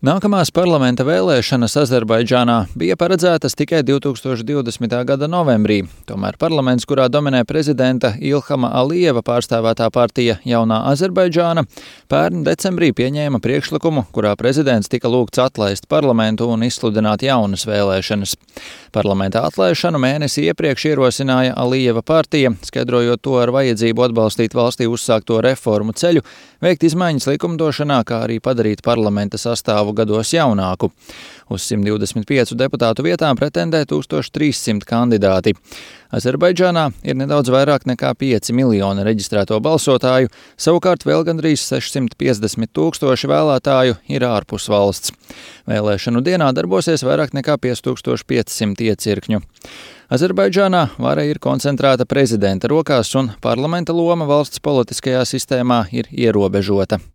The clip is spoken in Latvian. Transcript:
Nākamās parlamenta vēlēšanas Azerbaidžānā bija paredzētas tikai 2020. gada novembrī, tomēr parlaments, kurā dominē prezidenta Ilhama Alijeva pārstāvētā partija Jaunā Azerbaidžāna, pērn decembrī pieņēma priekšlikumu, kurā prezidents tika lūgts atlaist parlamentu un izsludināt jaunas vēlēšanas. Parlamenta atlaišanu mēnesi iepriekš ierosināja Alijeva partija, skaidrojot to ar vajadzību atbalstīt valstī uzsākto reformu ceļu, veikt izmaiņas likumdošanā, kā arī padarīt parlamenta sastāvu gados jaunāku. Uz 125 deputātu vietām pretendē 1300 kandidāti. Azerbaidžānā ir nedaudz vairāk nekā 5 miljoni reģistrēto balsotāju, savukārt vēl gandrīz 650 tūkstoši vēlētāju ir ārpus valsts. Vēlēšanu dienā darbosies vairāk nekā 5500 iecirkņu. Azerbaidžānā vara ir koncentrēta prezidenta rokās un parlamenta loma valsts politiskajā sistēmā ir ierobežota.